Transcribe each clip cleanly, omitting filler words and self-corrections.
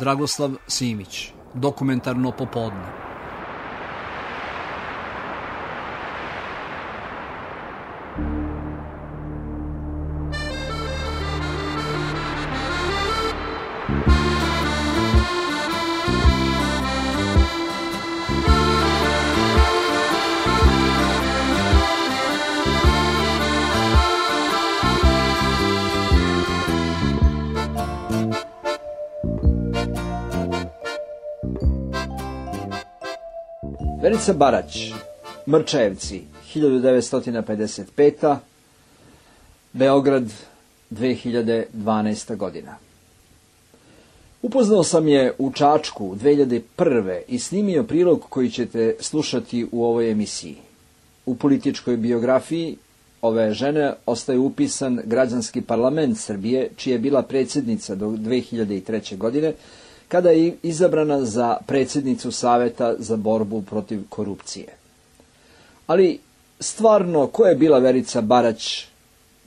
Dragoslav Simić, Dokumentarno popodne. Verica Barać, Mrčajevci, 1955. Beograd, 2012. godina. Upoznao sam je u Čačku 2001. i snimio prilog koji ćete slušati u ovoj emisiji. U političkoj biografiji ove žene ostaje upisan Građanski parlament Srbije, čija je bila predsjednica do 2003. godine, kada je izabrana za predsjednicu Saveta za borbu protiv korupcije. Ali stvarno, ko je bila Verica Barać,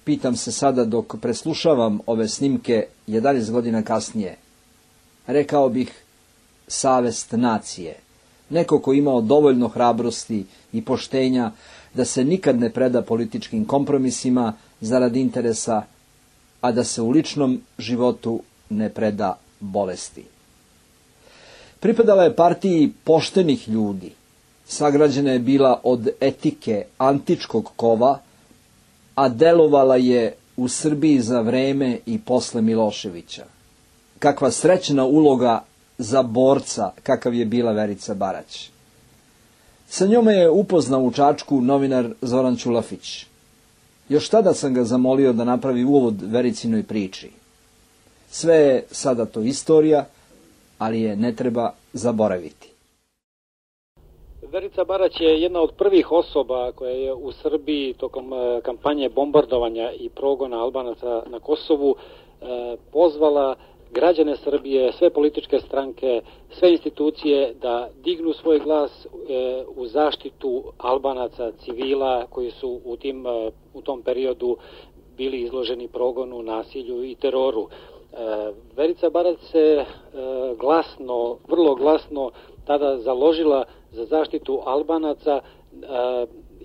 pitam se sada dok preslušavam ove snimke 11 godina kasnije. Rekao bih savest nacije, neko ko imao dovoljno hrabrosti i poštenja da se nikad ne preda političkim kompromisima zarad interesa, a da se u ličnom životu ne preda bolesti. Pripadala je partiji poštenih ljudi, sagrađena je bila od etike antičkog kova, a delovala je u Srbiji za vreme i posle Miloševića. Kakva srećna uloga za borca kakav je bila Verica Barać. Sa njome je upoznao u Čačku novinar Zoran Ćulafić. Još tada sam ga zamolio da napravi uvod Vericinoj priči. Sve je sada to istorija, ali je ne treba zaboraviti. Verica Barać je jedna od prvih osoba koja je u Srbiji tokom kampanje bombardovanja i progona Albanaca na Kosovu pozvala građane Srbije, sve političke stranke, sve institucije da dignu svoj glas u zaštitu Albanaca, civila koji su u tom periodu bili izloženi progonu, nasilju i teroru. Verica Barać se vrlo glasno tada založila za zaštitu Albanaca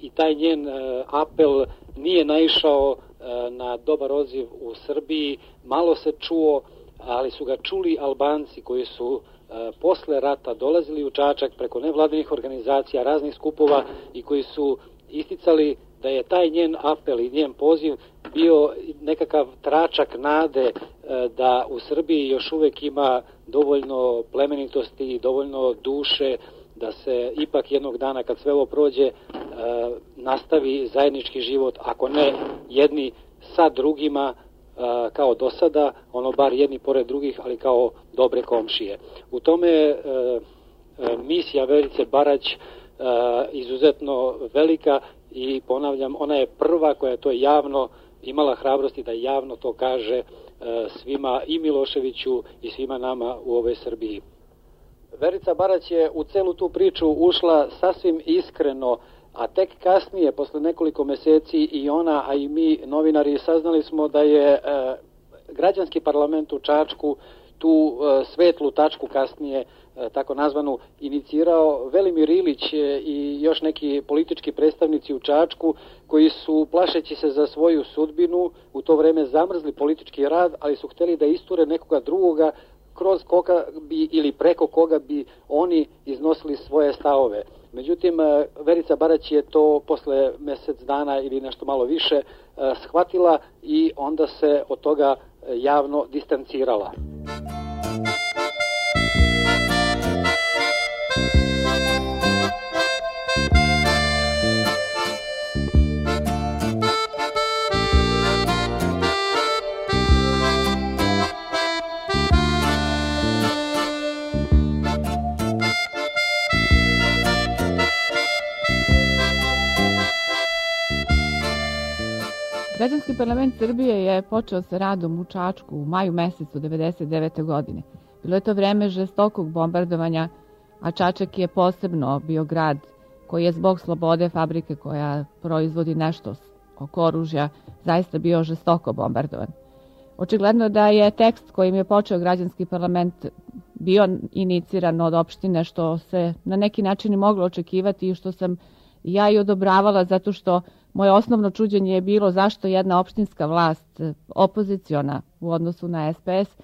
i taj njen apel nije naišao na dobar odziv u Srbiji. Malo se čuo, ali su ga čuli Albanci koji su posle rata dolazili u Čačak preko nevladinih organizacija, raznih skupova i koji su isticali da je taj njen apel i njen poziv bio nekakav tračak nade da u Srbiji još uvek ima dovoljno plemenitosti i dovoljno duše da se ipak jednog dana kad sve ovo prođe nastavi zajednički život, ako ne jedni sa drugima kao do sada, ono bar jedni pored drugih, ali kao dobre komšije. U tome je misija Verice Barać izuzetno velika i ponavljam, ona je prva koja je to javno imala hrabrosti da javno to kaže svima, i Miloševiću i svima nama u ovoj Srbiji. Verica Barać je u celu tu priču ušla sasvim iskreno, a tek kasnije, posle nekoliko meseci, i ona, a i mi novinari saznali smo da je Građanski parlament u Čačku tu svetlu tačku kasnije, tako nazvanu, inicirao Velimir Ilić i još neki politički predstavnici u Čačku koji su, plašeći se za svoju sudbinu, u to vreme zamrzli politički rad, ali su hteli da isture nekoga drugoga kroz koga bi ili preko koga bi oni iznosili svoje stavove. Međutim, Verica Barać je to posle mesec dana ili nešto malo više shvatila i onda se od toga javno distancirala. Građanski parlament Srbije je počeo sa radom u Čačku u maju mesecu 1999. godine. Bilo je to vreme žestokog bombardovanja, a Čačak je posebno bio grad koji je zbog slobode fabrike koja proizvodi nešto oko oružja zaista bio žestoko bombardovan. Očigledno da je tekst kojim je počeo Građanski parlament bio iniciran od opštine, što se na neki način moglo očekivati i što sam ja i odobravala, zato što moje osnovno čuđenje je bilo zašto jedna opštinska vlast, opoziciona u odnosu na SPS,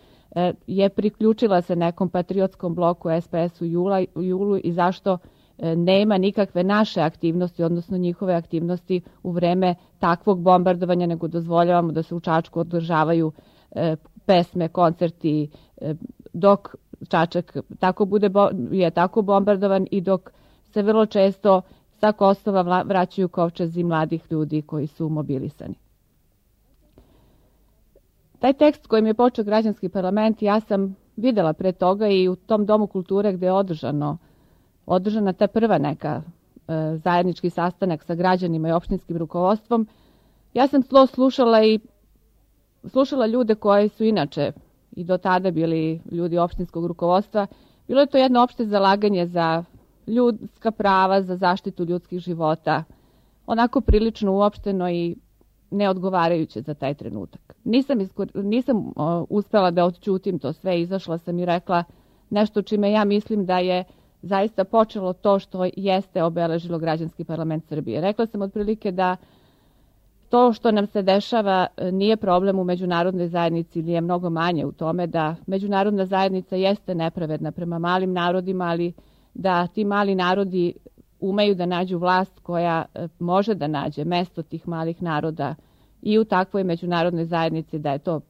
je priključila se nekom patriotskom bloku SPS u julu i zašto nema nikakve naše aktivnosti, odnosno njihove aktivnosti u vreme takvog bombardovanja, nego dozvoljavamo da se u Čačku održavaju pesme, koncerti, dok Čačak je tako bombardovan i dok se vrlo često sa Kosova vraćaju kovčezi mladih ljudi koji su mobilisani. Taj tekst kojim je počeo građanski parlament ja sam videla pre toga i u tom domu kulture gde je održana ta prva neka zajednički sastanak sa građanima i opštinskim rukovodstvom. Ja sam slušala ljude koji su inače i do tada bili ljudi opštinskog rukovodstva. Bilo je to jedno opšte zalaganje za ljudska prava, za zaštitu ljudskih života, onako prilično uopšteno i neodgovarajuće za taj trenutak. Nisam uspela da odćutim to sve, izašla sam i rekla nešto čime ja mislim da je zaista počelo to što jeste obeležilo građanski parlament Srbije. Rekla sam otprilike da to što nam se dešava nije problem u međunarodnoj zajednici ili je mnogo manje u tome da međunarodna zajednica jeste nepravedna prema malim narodima, ali da ti mali narodi umeju da nađu vlast koja može da nađe mesto tih malih naroda i u takvoj međunarodnoj zajednici, da je to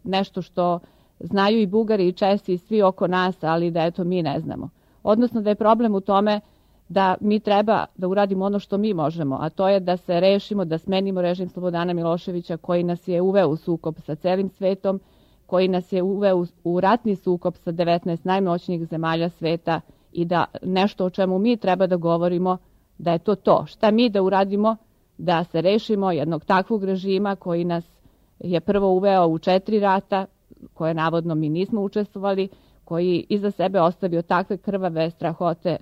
nešto što znaju i Bugari i Česi i svi oko nas, ali da eto mi ne znamo. Odnosno da je problem u tome da mi treba da uradimo ono što mi možemo, a to je da se rešimo, da smenimo režim Slobodana Miloševića koji nas je uveo u sukob sa celim svetom, koji nas je uveo u ratni sukob sa 19 najmoćnijih zemalja sveta i da nešto o čemu mi treba da govorimo, da je to to. Šta mi da uradimo da se rešimo jednog takvog režima koji nas je prvo uveo u 4 rata, koje navodno mi nismo učestvovali, koji iza sebe ostavio takve krvave strahote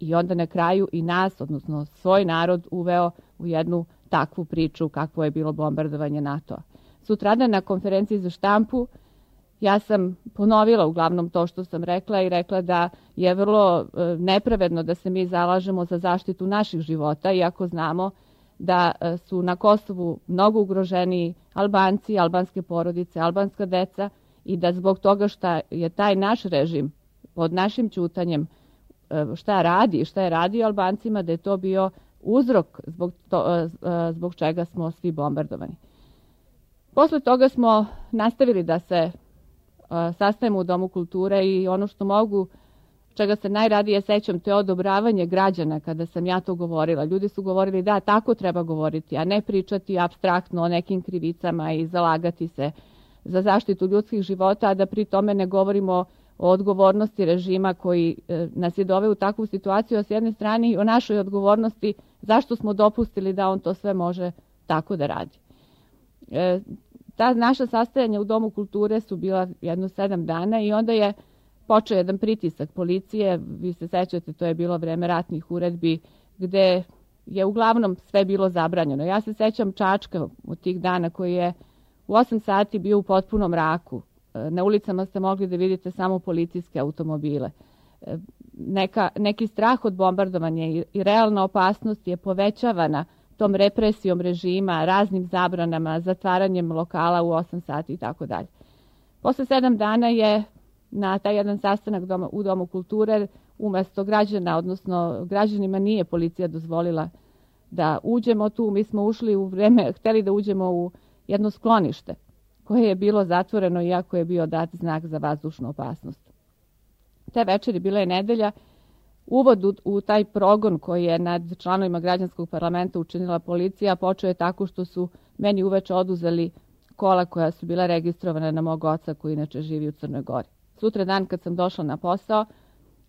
i onda na kraju i nas, odnosno svoj narod, uveo u jednu takvu priču kakvo je bilo bombardovanje NATO-a. Sutradan na konferenciji za štampu ja sam ponovila uglavnom to što sam rekla i rekla da je vrlo nepravedno da se mi zalažemo za zaštitu naših života, iako znamo da su na Kosovu mnogo ugroženiji Albanci, albanske porodice, albanska deca i da zbog toga što je taj naš režim pod našim ćutanjem šta je radio Albancima, da je to bio uzrok zbog čega smo svi bombardovani. Posle toga smo nastavili da se sastajemo u Domu kulture i ono što mogu, čega se najradije sećam, to je odobravanje građana kada sam ja to govorila. Ljudi su govorili da tako treba govoriti, a ne pričati apstraktno o nekim krivicama i zalagati se za zaštitu ljudskih života, a da pri tome ne govorimo o odgovornosti režima koji nas je doveo u takvu situaciju, a s jedne strane i o našoj odgovornosti zašto smo dopustili da on to sve može tako da radi. Ta naša sastajanja u Domu kulture su bila jedno 7 dana i onda je počeo jedan pritisak policije, vi se sećate, to je bilo vreme ratnih uredbi, gde je uglavnom sve bilo zabranjeno. Ja se sećam Čačka od tih dana koji je u 8 sati bio u potpunom mraku. Na ulicama ste mogli da vidite samo policijske automobile. Neki strah od bombardovanja i realna opasnost je povećavana tom represijom režima, raznim zabranama, zatvaranjem lokala u 8 sati i tako dalje. Posle 7 dana je na taj jedan sastanak u Domu kulture umesto građana, odnosno građanima nije policija dozvolila da uđemo tu. Mi smo ušli u vreme, hteli da uđemo u jedno sklonište koje je bilo zatvoreno iako je bio dat znak za vazdušnu opasnost. Te večeri bila je nedelja. Uvod u taj progon koji je nad članovima građanskog parlamenta učinila policija počeo je tako što su meni uveče oduzeli kola koja su bila registrovana na mog oca koji inače živi u Crnoj Gori. Sutra dan kad sam došla na posao,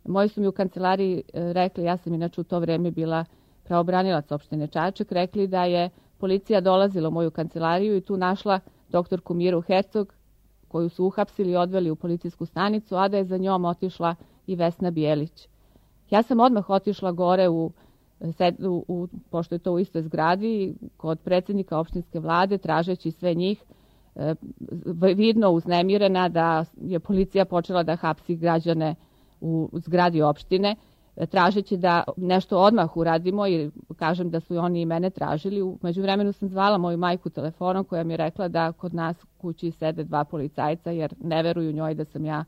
moji su mi u kancelariji rekli, ja sam inače u to vreme bila pravobranilac opštine Čačak, rekli da je policija dolazila u moju kancelariju i tu našla doktorku Miru Hercog, koju su uhapsili i odveli u policijsku stanicu, a da je za njom otišla i Vesna Bijelić. Ja sam odmah otišla gore pošto je to u istoj zgradi, kod predsjednika opštinske vlade, tražeći sve njih. vidno uznemirena, da je policija počela da hapsi građane u zgradi opštine, tražeći da nešto odmah uradimo, i kažem da su oni i mene tražili. U međuvremenu sam zvala moju majku telefonom, koja mi je rekla da kod nas kući sede 2 policajca jer ne veruju njoj da sam ja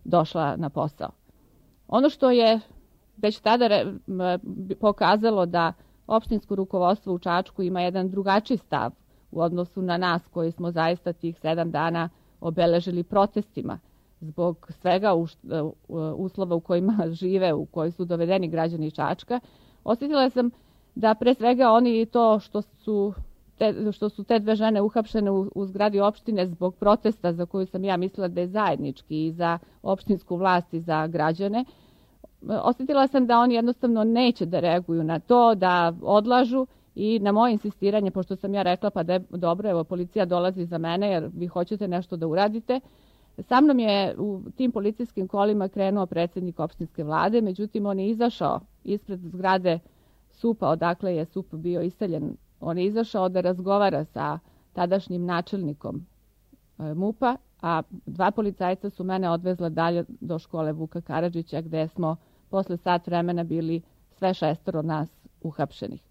došla na posao. Ono što je već tada pokazalo da opštinsko rukovodstvo u Čačku ima jedan drugačiji stav u odnosu na nas koji smo zaista tih 7 dana obeležili protestima zbog svega uslova u kojima žive, u koji su dovedeni građani Čačka. Osjetila sam da pre svega oni to što su te 2 žene uhapšene u zgradi opštine zbog protesta za koju sam ja mislila da je zajednički i za opštinsku vlast i za građane, osjetila sam da oni jednostavno neće da reaguju na to, da odlažu, i na moje insistiranje, pošto sam ja rekla pa da je dobro, evo policija dolazi za mene jer vi hoćete nešto da uradite, sa mnom je u tim policijskim kolima krenuo predsjednik opštinske vlade, međutim on je izašao ispred zgrade SUP-a, odakle je SUP bio iseljen. On je izašao da razgovara sa tadašnjim načelnikom MUP-a, a 2 policajca su mene odvezla dalje do škole Vuka Karadžića, gde smo posle sat vremena bili sve 6 nas uhapšenih.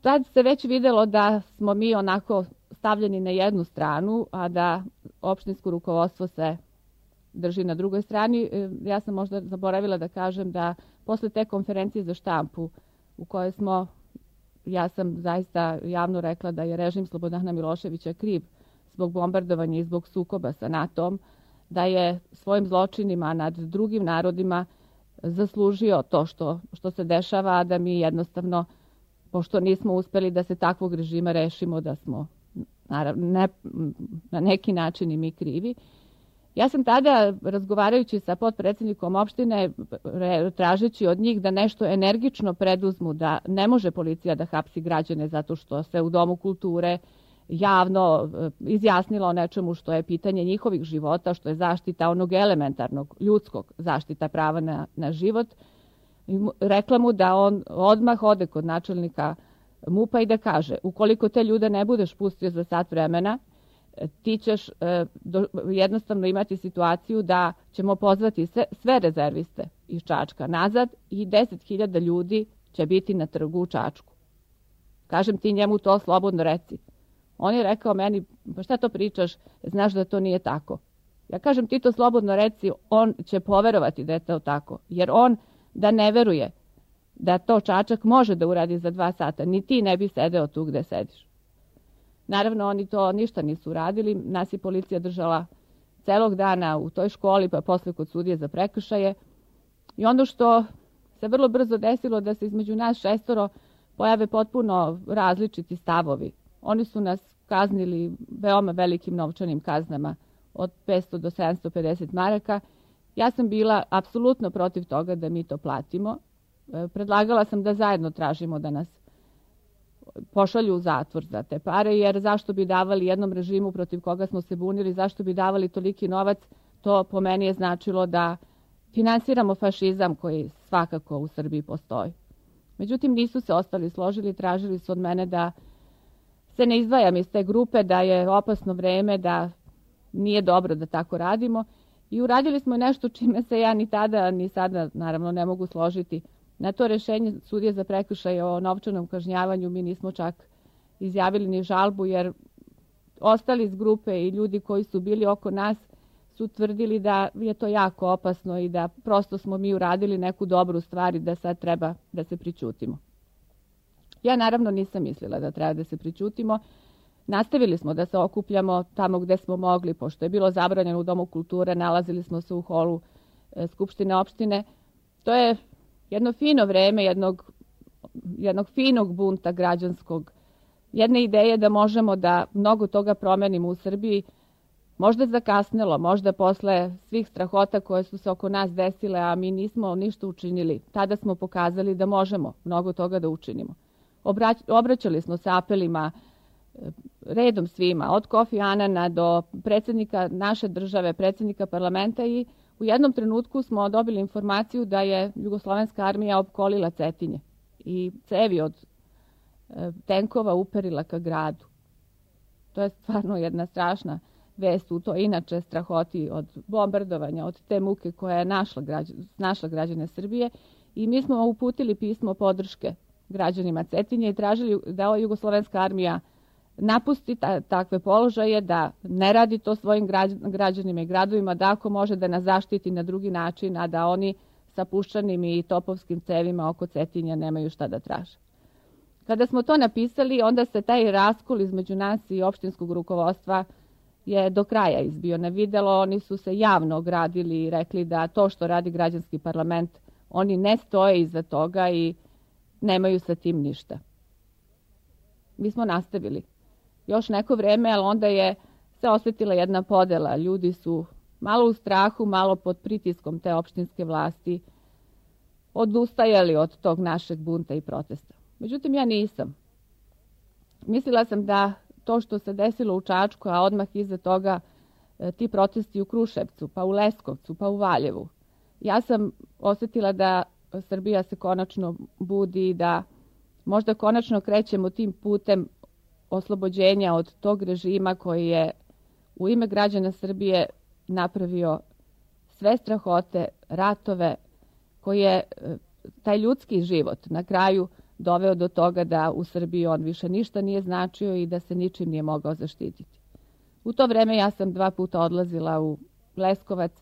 Tad se već videlo da smo mi onako stavljeni na jednu stranu, a da opštinsko rukovodstvo se drži na drugoj strani. Ja sam možda zaboravila da kažem da posle te konferencije za štampu u kojoj ja sam zaista javno rekla da je režim Slobodana Miloševića kriv zbog bombardovanja i zbog sukoba sa NATO-om, da je svojim zločinima nad drugim narodima zaslužio to što se dešava, a da mi jednostavno, pošto nismo uspeli da se takvog režima rešimo, da smo na neki način i mi krivi. Ja sam tada, razgovarajući sa potpredsjednikom opštine, tražeći od njih da nešto energično preduzmu, da ne može policija da hapsi građane zato što se u Domu kulture javno izjasnila o nečemu što je pitanje njihovih života, što je zaštita onog elementarnog, ljudskog, zaštita prava na život. Rekla mu da on odmah ode kod načelnika MUP-a i da kaže, ukoliko te ljude ne budeš pustio za sat vremena, ti ćeš jednostavno imati situaciju da ćemo pozvati sve rezerviste iz Čačka nazad i 10.000 ljudi će biti na trgu u Čačku. Kažem, ti njemu to slobodno reci. On je rekao meni, pa šta to pričaš, znaš da to nije tako. Ja kažem, ti to slobodno reci, on će poverovati da je to tako, jer on da ne veruje da to Čačak može da uradi za 2 sata, ni ti ne bi sedeo tu gde sediš. Naravno, oni to ništa nisu uradili, nas je policija držala celog dana u toj školi, pa posle kod sudije za prekršaje. I ono što se vrlo brzo desilo da se između nas 6 pojave potpuno različiti stavovi. Oni su nas kaznili veoma velikim novčanim kaznama od 500 do 750 maraka. Ja sam bila apsolutno protiv toga da mi to platimo. Predlagala sam da zajedno tražimo da nas pošalju u zatvor za te pare, jer zašto bi davali jednom režimu protiv koga smo se bunili, zašto bi davali toliki novac, to po meni je značilo da finansiramo fašizam koji svakako u Srbiji postoji. Međutim, nisu se ostali složili, tražili su od mene da se ne izdvajam iz te grupe, da je opasno vreme, da nije dobro da tako radimo. I uradili smo nešto čime se ja ni tada ni sada naravno ne mogu složiti. Na to rešenje sudije za prekršaje o novčanom kažnjavanju mi nismo čak izjavili ni žalbu, jer ostali iz grupe i ljudi koji su bili oko nas su tvrdili da je to jako opasno i da prosto smo mi uradili neku dobru stvar i da sad treba da se pričutimo. Ja naravno nisam mislila da treba da se pričutimo. Nastavili smo da se okupljamo tamo gde smo mogli, pošto je bilo zabranjeno u Domu kulture, nalazili smo se u holu Skupštine opštine. To je jedno fino vreme jednog finog bunta građanskog, jedne ideje da možemo da mnogo toga promenimo u Srbiji, možda zakasnelo, možda posle svih strahota koje su se oko nas desile, a mi nismo ništa učinili. Tada smo pokazali da možemo mnogo toga da učinimo. Obraćali smo se apelima redom svima, od Kofi Anana do predsjednika naše države, predsjednika parlamenta, i u jednom trenutku smo dobili informaciju da je Jugoslovenska armija opkolila Cetinje i cevi od tenkova uperila ka gradu. To je stvarno jedna strašna vest u to inače strahoti od bombardovanja, od te muke koja je našla građane Srbije. I mi smo uputili pismo podrške građanima Cetinja i tražili da ova jugoslovenska armija napusti takve položaje, da ne radi to svojim građanima i gradovima, da ako može da nas zaštiti na drugi način, a da oni sa puščanim i topovskim cevima oko Cetinja nemaju šta da traže. Kada smo to napisali, onda se taj raskol između nas i opštinskog rukovodstva je do kraja izbio na videlo. Oni su se javno ogradili i rekli da to što radi građanski parlament, oni ne stoje iza toga i nemaju sa tim ništa. Mi smo nastavili još neko vreme, ali onda je se osjetila jedna podela. Ljudi su malo u strahu, malo pod pritiskom te opštinske vlasti odustajali od tog našeg bunta i protesta. Međutim, ja nisam. Mislila sam da to što se desilo u Čačku, a odmah iza toga ti protesti u Kruševcu, pa u Leskovcu, pa u Valjevu, ja sam osjetila da Srbija se konačno budi i da možda konačno krećemo tim putem oslobođenja od tog režima koji je u ime građana Srbije napravio sve strahote, ratove, koji je taj ljudski život na kraju doveo do toga da u Srbiji on više ništa nije značio i da se ničim nije mogao zaštititi. U to vreme ja sam 2 puta odlazila u Leskovac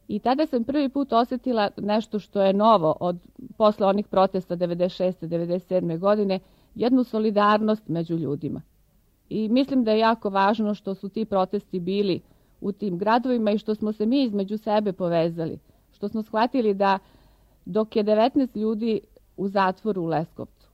i tada sam prvi put osjetila nešto što je novo posle onih protesta 96. 97. godine, jednu solidarnost među ljudima. I mislim da je jako važno što su ti protesti bili u tim gradovima i što smo se mi između sebe povezali. Što smo shvatili da dok je 19 ljudi u zatvoru u Leskovcu,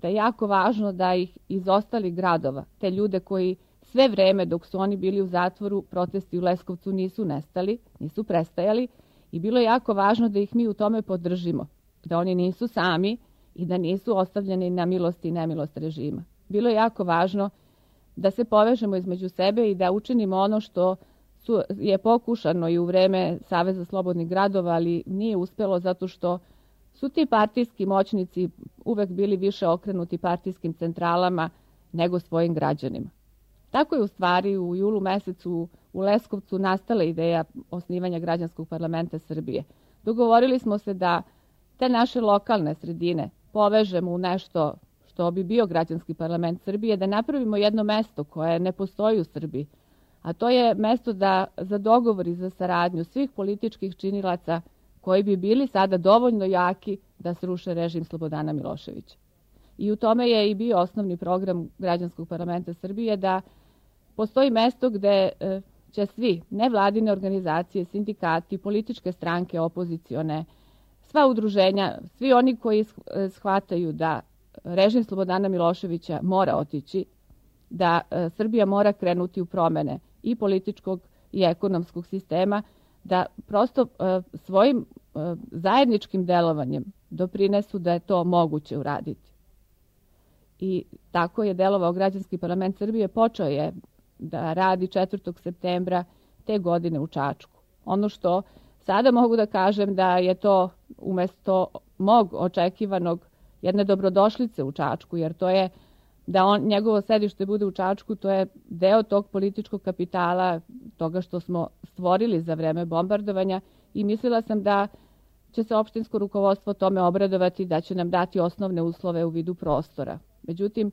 da je jako važno da ih iz ostalih gradova, te ljude koji sve vreme dok su oni bili u zatvoru, protesti u Leskovcu nisu nestali, nisu prestajali i bilo je jako važno da ih mi u tome podržimo, da oni nisu sami i da nisu ostavljeni na milost i nemilost režima. Bilo je jako važno da se povežemo između sebe i da učinimo ono što je pokušano i u vreme Saveza slobodnih gradova, ali nije uspelo zato što su ti partijski moćnici uvek bili više okrenuti partijskim centralama nego svojim građanima. Tako je u stvari u julu mesecu u Leskovcu nastala ideja osnivanja građanskog parlamenta Srbije. Dogovorili smo se da te naše lokalne sredine povežemo u nešto što bi bio građanski parlament Srbije, da napravimo jedno mesto koje ne postoji u Srbiji, a to je mesto za dogovor i za saradnju svih političkih činilaca koji bi bili sada dovoljno jaki da sruše režim Slobodana Miloševića. I u tome je i bio osnovni program građanskog parlamenta Srbije, da postoji mesto gde će svi nevladine organizacije, sindikati, političke stranke, opozicione, sva udruženja, svi oni koji shvataju da režim Slobodana Miloševića mora otići, da Srbija mora krenuti u promene i političkog i ekonomskog sistema, da prosto svojim zajedničkim delovanjem doprinesu da je to moguće uraditi. I tako je delovao građanski parlament Srbije, počeo je da radi 4. septembra te godine u Čačku. Ono što sada mogu da kažem da je to umesto mog očekivanog jedne dobrodošlice u Čačku, jer to je da njegovo sedište bude u Čačku, to je deo tog političkog kapitala, toga što smo stvorili za vreme bombardovanja i mislila sam da će se opštinsko rukovodstvo tome obradovati, da će nam dati osnovne uslove u vidu prostora. Međutim,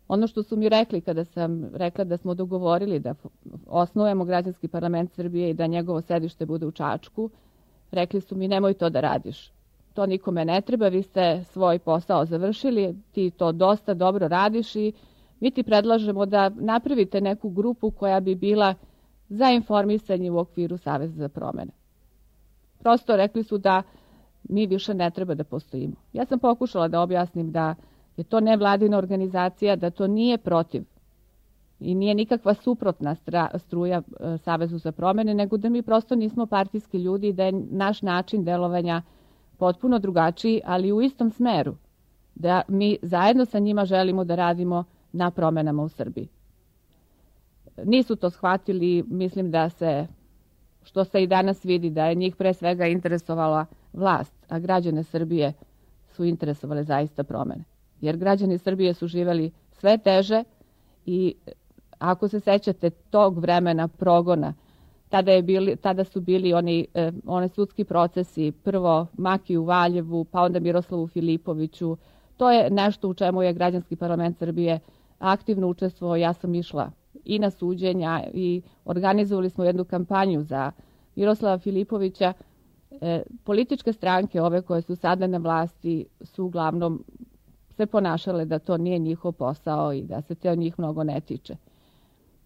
ono što su mi rekli kada sam rekla da smo dogovorili da osnujemo građanski parlament Srbije i da njegovo sedište bude u Čačku, rekli su mi nemoj to da radiš. To nikome ne treba, vi ste svoj posao završili, ti to dosta dobro radiš i mi ti predlažemo da napravite neku grupu koja bi bila za informisanje u okviru Saveza za promene. Prosto rekli su da mi više ne treba da postojimo. Ja sam pokušala da objasnim da je to nevladina organizacija, da to nije protiv i nije nikakva suprotna struja Savezu za promene, nego da mi prosto nismo partijski ljudi i da je naš način delovanja potpuno drugačiji, ali u istom smeru, da mi zajedno sa njima želimo da radimo na promenama u Srbiji. Nisu to shvatili, mislim da što se i danas vidi, da je njih pre svega interesovala vlast, a građane Srbije su interesovale zaista promene. Jer građani Srbije su živeli sve teže i Ako se sećate tog vremena progona, tada su bili oni sudski procesi, prvo Maki u Valjevu, pa onda Miroslavu Filipoviću. To je nešto u čemu je Građanski parlament Srbije aktivno učestvovao. Ja sam išla i na suđenja i organizovali smo jednu kampanju za Miroslava Filipovića. Političke stranke, ove koje su sada na vlasti, su uglavnom se ponašale da to nije njihov posao i da se te od njih mnogo ne tiče.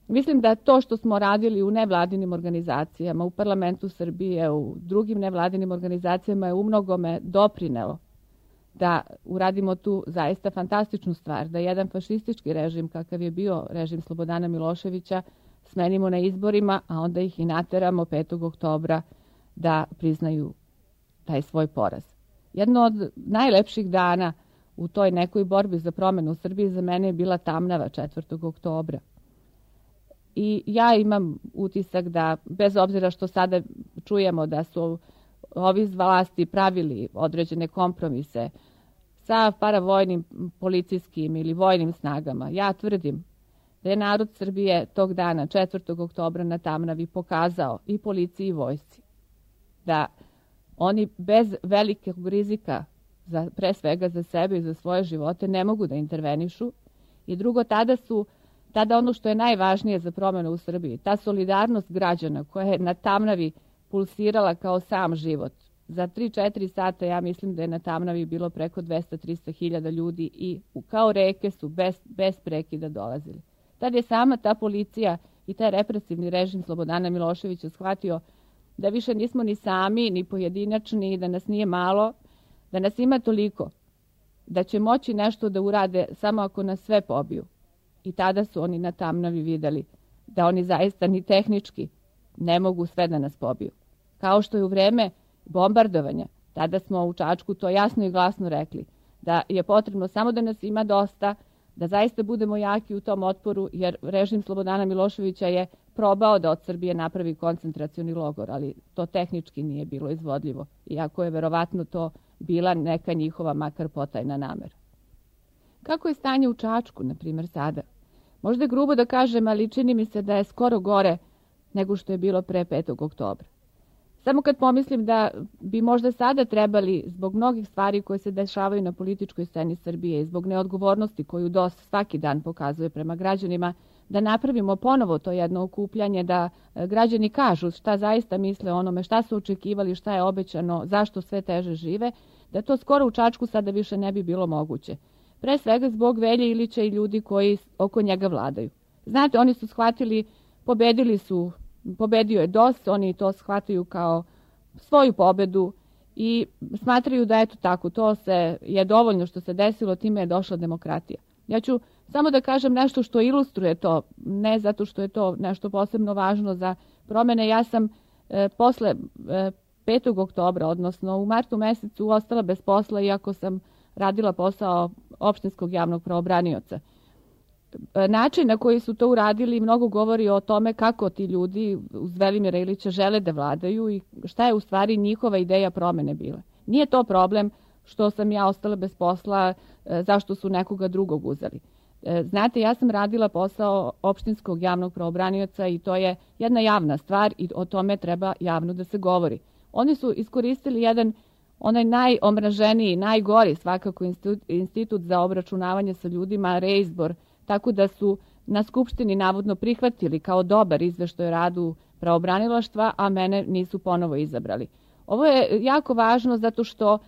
Mislim da to što smo radili u nevladinim organizacijama, u parlamentu Srbije, u drugim nevladinim organizacijama je umnogome doprinelo da uradimo tu zaista fantastičnu stvar, da jedan fašistički režim, kakav je bio režim Slobodana Miloševića, smenimo na izborima, a onda ih i nateramo 5. oktobra da priznaju taj svoj poraz. Jedno od najlepših dana u toj nekoj borbi za promenu u Srbiji za mene je bila Tamnava 4. oktobra. I ja imam utisak da, bez obzira što sada čujemo da su ovi iz vlasti pravili određene kompromise sa paravojnim policijskim ili vojnim snagama, ja tvrdim da je narod Srbije tog dana, 4. oktobra na Tamnavi, pokazao i policiji i vojsci da oni bez velikog rizika, pre svega za sebe i za svoje živote, ne mogu da intervenišu. I drugo, tada ono što je najvažnije za promjenu u Srbiji, ta solidarnost građana koja je na Tamnavi pulsirala kao sam život. Za 3-4 sata ja mislim da je na Tamnavi bilo preko 200-300 hiljada ljudi i kao reke su bez prekida dolazili. Tad je sama ta policija i taj represivni režim Slobodana Miloševića shvatio da više nismo ni sami, ni pojedinačni, da nas nije malo, da nas ima toliko, da će moći nešto da urade samo ako nas sve pobiju. I tada su oni na Tamnavi vidjeli da oni zaista ni tehnički ne mogu sve da nas pobiju. Kao što je u vreme bombardovanja, tada smo u Čačku to jasno i glasno rekli, da je potrebno samo da nas ima dosta, da zaista budemo jaki u tom otporu, jer režim Slobodana Miloševića je probao da od Srbije napravi koncentracioni logor, ali to tehnički nije bilo izvodljivo, iako je verovatno to bila neka njihova makar potajna namera. Kako je stanje u Čačku, na primjer, sada? Možda je grubo da kažem, ali čini mi se da je skoro gore nego što je bilo pre 5. oktobra. Samo kad pomislim da bi možda sada trebali, zbog mnogih stvari koje se dešavaju na političkoj sceni Srbije i zbog neodgovornosti koju DOS svaki dan pokazuje prema građanima, da napravimo ponovo to jedno okupljanje, da građani kažu šta zaista misle o onome, šta su očekivali, šta je obećano, zašto sve teže žive, da to skoro u Čačku sada više ne bi bilo moguće. Pre svega zbog Velje Ilića i ljudi koji oko njega vladaju. Znate, oni su shvatili, pobedio je DOS, oni to shvataju kao svoju pobedu i smatraju da eto tako, to je dovoljno što se desilo, time je došla demokratija. Ja ću samo da kažem nešto što ilustruje to, ne zato što je to nešto posebno važno za promene. Ja sam posle 5. oktobra, odnosno u martu mesecu, ostala bez posla, iako sam radila posao opštinskog javnog pravobranioca. Način na koji su to uradili mnogo govori o tome kako ti ljudi uz Velimira Ilića žele da vladaju i šta je u stvari njihova ideja promene bila. Nije to problem što sam ja ostala bez posla, zašto su nekoga drugog uzeli. Znate, ja sam radila posao opštinskog javnog pravobranioca i to je jedna javna stvar i o tome treba javno da se govori. Oni su iskoristili onaj najomraženiji, najgori svakako institut za obračunavanje sa ljudima, reizbor, tako da su na Skupštini navodno prihvatili kao dobar izveštaj o radu pravobranilaštva, a mene nisu ponovo izabrali. Ovo je jako važno zato što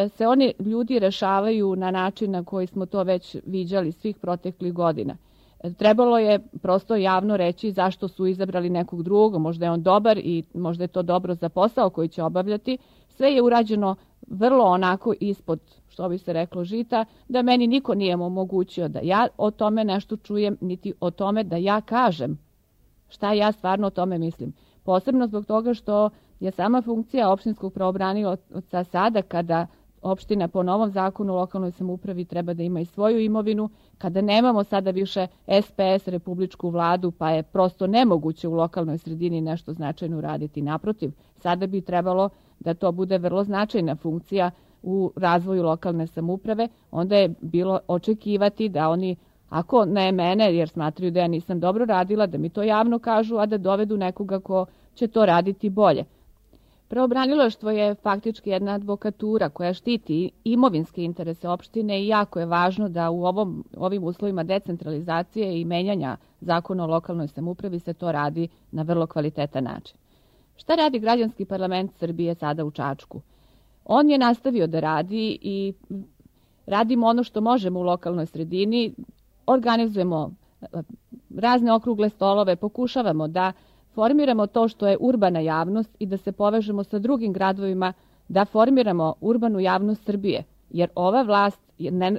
se oni ljudi rešavaju na način na koji smo to već viđali svih proteklih godina. Trebalo je prosto javno reći zašto su izabrali nekog drugog, možda je on dobar i možda je to dobro za posao koji će obavljati. Sve je urađeno vrlo onako ispod, što bi se reklo, žita, da meni niko nije omogućio da ja o tome nešto čujem, niti o tome da ja kažem šta ja stvarno o tome mislim. Posebno zbog toga što je sama funkcija opštinskog pravobranioca sada, kada opština po novom zakonu o lokalnoj samoupravi treba da ima i svoju imovinu, kada nemamo sada više SPS, republičku vladu, pa je prosto nemoguće u lokalnoj sredini nešto značajno raditi. Naprotiv, sada bi trebalo da to bude vrlo značajna funkcija u razvoju lokalne samouprave, onda je bilo očekivati da oni Ako ne mene, jer smatraju da ja nisam dobro radila, da mi to javno kažu, a da dovedu nekoga ko će to raditi bolje. Pravobranilaštvo je faktički jedna advokatura koja štiti imovinske interese opštine i jako je važno da u ovim uslovima decentralizacije i menjanja zakona o lokalnoj samoupravi se to radi na vrlo kvalitetan način. Šta radi Građanski parlament Srbije sada u Čačku? On je nastavio da radi i radimo ono što možemo u lokalnoj sredini, organizujemo razne okrugle stolove, pokušavamo da formiramo to što je urbana javnost i da se povežemo sa drugim gradovima, da formiramo urbanu javnost Srbije, jer ova vlast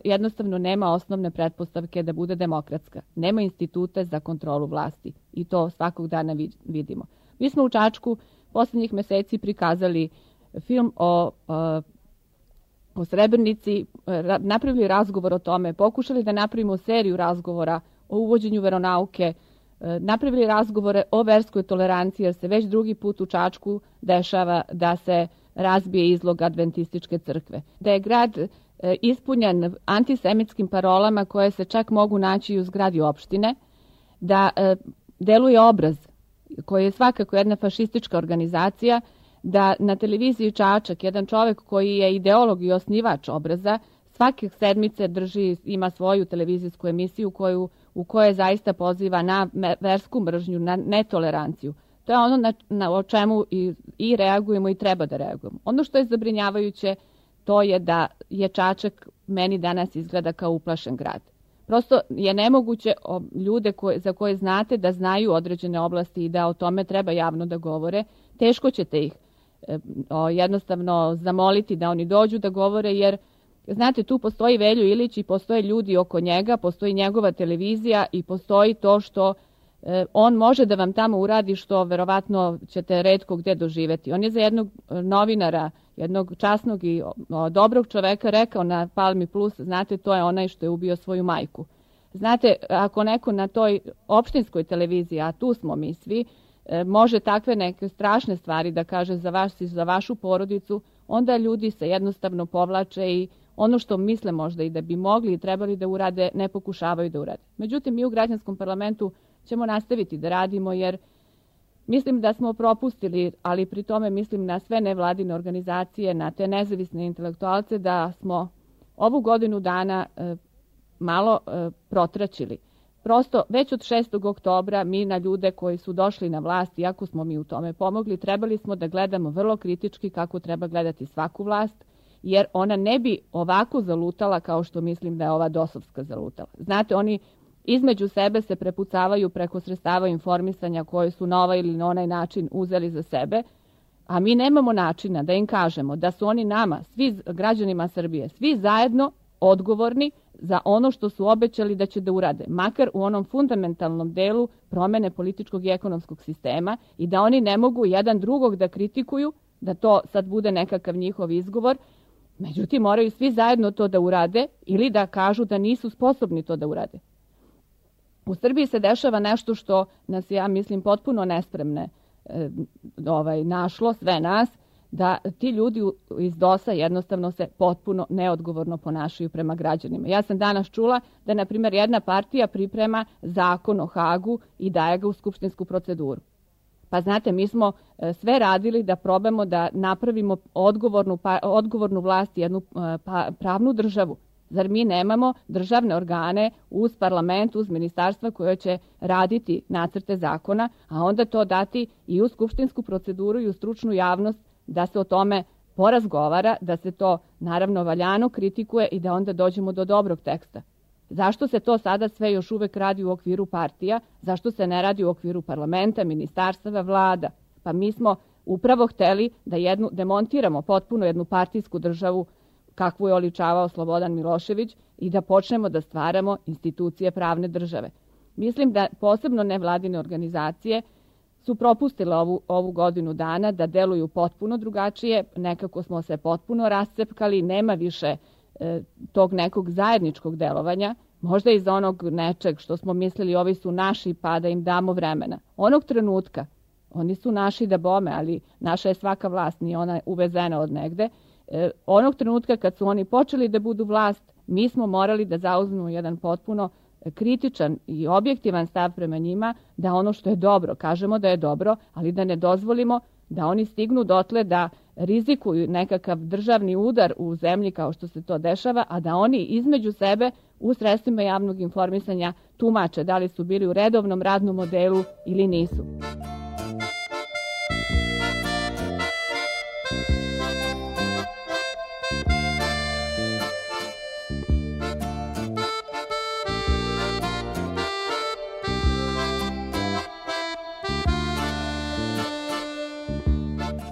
jednostavno nema osnovne pretpostavke da bude demokratska. Nema institute za kontrolu vlasti i to svakog dana vidimo. Mi smo u Čačku poslednjih meseci prikazali film o Srebrenici, napravili razgovor o tome, pokušali da napravimo seriju razgovora o uvođenju veronauke, napravili razgovore o verskoj toleranciji, jer se već drugi put u Čačku dešava da se razbije izlog adventističke crkve. Da je grad ispunjen antisemitskim parolama koje se čak mogu naći i u zgradi opštine, da deluje Obraz, koji je svakako jedna fašistička organizacija, da na televiziji Čačak, jedan čovek koji je ideolog i osnivač Obraza, svake sedmice ima svoju televizijsku emisiju u kojoj zaista poziva na versku mržnju, na netoleranciju. To je ono o čemu i reagujemo i treba da reagujemo. Ono što je zabrinjavajuće, to je da je Čačak meni danas izgleda kao uplašen grad. Prosto je nemoguće ljude za koje znate da znaju određene oblasti i da o tome treba javno da govore, teško ćete ih jednostavno zamoliti da oni dođu da govore, jer znate, tu postoji Veljo Ilić i postoje ljudi oko njega, postoji njegova televizija i postoji to što on može da vam tamo uradi što verovatno ćete retko gde doživeti. On je za jednog novinara, jednog časnog i dobrog čoveka rekao na Palmi Plus, znate, to je onaj što je ubio svoju majku. Znate, ako neko na toj opštinskoj televiziji, a tu smo mi svi, može takve neke strašne stvari da kaže za vas i za vašu porodicu, onda ljudi se jednostavno povlače i ono što misle možda i da bi mogli i trebali da urade, ne pokušavaju da urade. Međutim, mi u Građanskom parlamentu ćemo nastaviti da radimo, jer mislim da smo propustili, ali pri tome mislim na sve nevladine organizacije, na te nezavisne intelektualce, da smo ovu godinu dana malo protraćili. Prosto, već od 6. oktobra mi na ljude koji su došli na vlast, iako smo mi u tome pomogli, trebali smo da gledamo vrlo kritički kako treba gledati svaku vlast, jer ona ne bi ovako zalutala kao što mislim da je ova dosovska zalutala. Znate, oni između sebe se prepucavaju preko sredstava informisanja koje su na ovaj ili na onaj način uzeli za sebe, a mi nemamo načina da im kažemo da su oni nama, svi građanima Srbije, svi zajedno odgovorni za ono što su obećali da će da urade, makar u onom fundamentalnom delu promene političkog i ekonomskog sistema, i da oni ne mogu jedan drugog da kritikuju, da to sad bude nekakav njihov izgovor. Međutim, moraju svi zajedno to da urade ili da kažu da nisu sposobni to da urade. U Srbiji se dešava nešto što nas, ja mislim, potpuno nespremne našlo, sve nas, da ti ljudi iz DOS-a jednostavno se potpuno neodgovorno ponašaju prema građanima. Ja sam danas čula da, na primjer, jedna partija priprema zakon o Hagu i daje ga u skupštinsku proceduru. Pa znate, mi smo sve radili da probamo da napravimo odgovornu vlast, jednu pravnu državu. Zar mi nemamo državne organe uz parlament, uz ministarstva koje će raditi nacrte zakona, a onda to dati i u skupštinsku proceduru i u stručnu javnost da se o tome porazgovara, da se to naravno valjano kritikuje i da onda dođemo do dobrog teksta. Zašto se to sada sve još uvek radi u okviru partija? Zašto se ne radi u okviru parlamenta, ministarstava, vlada? Pa mi smo upravo hteli da demontiramo potpuno jednu partijsku državu kakvu je oličavao Slobodan Milošević i da počnemo da stvaramo institucije pravne države. Mislim da posebno nevladine organizacije su propustile ovu godinu dana da deluju potpuno drugačije, nekako smo se potpuno rascepkali, nema više tog nekog zajedničkog delovanja, možda iz onog nečeg što smo mislili ovi su naši pa da im damo vremena. Onog trenutka, oni su naši da bome, ali naša je svaka vlast, nije ona uvezena od negde, onog trenutka kad su oni počeli da budu vlast, mi smo morali da zauzmemo jedan potpuno kritičan i objektivan stav prema njima, da ono što je dobro, kažemo da je dobro, ali da ne dozvolimo da oni stignu dotle da rizikuju nekakav državni udar u zemlji kao što se to dešava, a da oni između sebe u sredstvima javnog informisanja tumače da li su bili u redovnom radnom modelu ili nisu.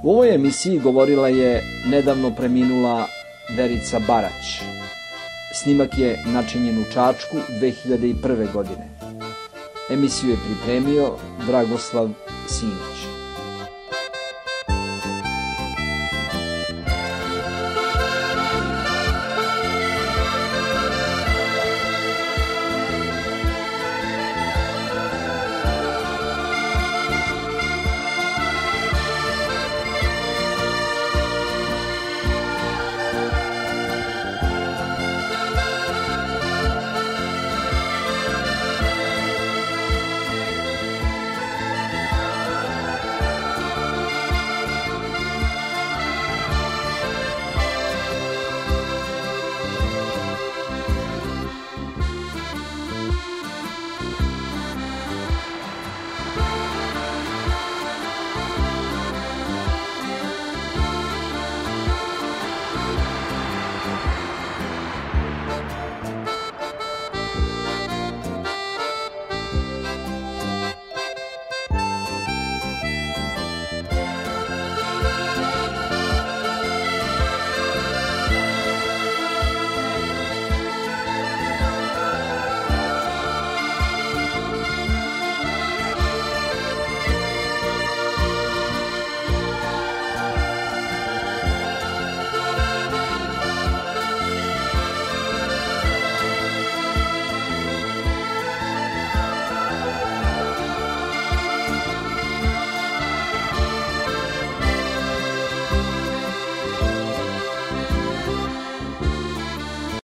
U ovoj emisiji govorila je nedavno preminula Verica Barać. Snimak je načinjen u Čačku 2001. godine. Emisiju je pripremio Dragoslav Simić.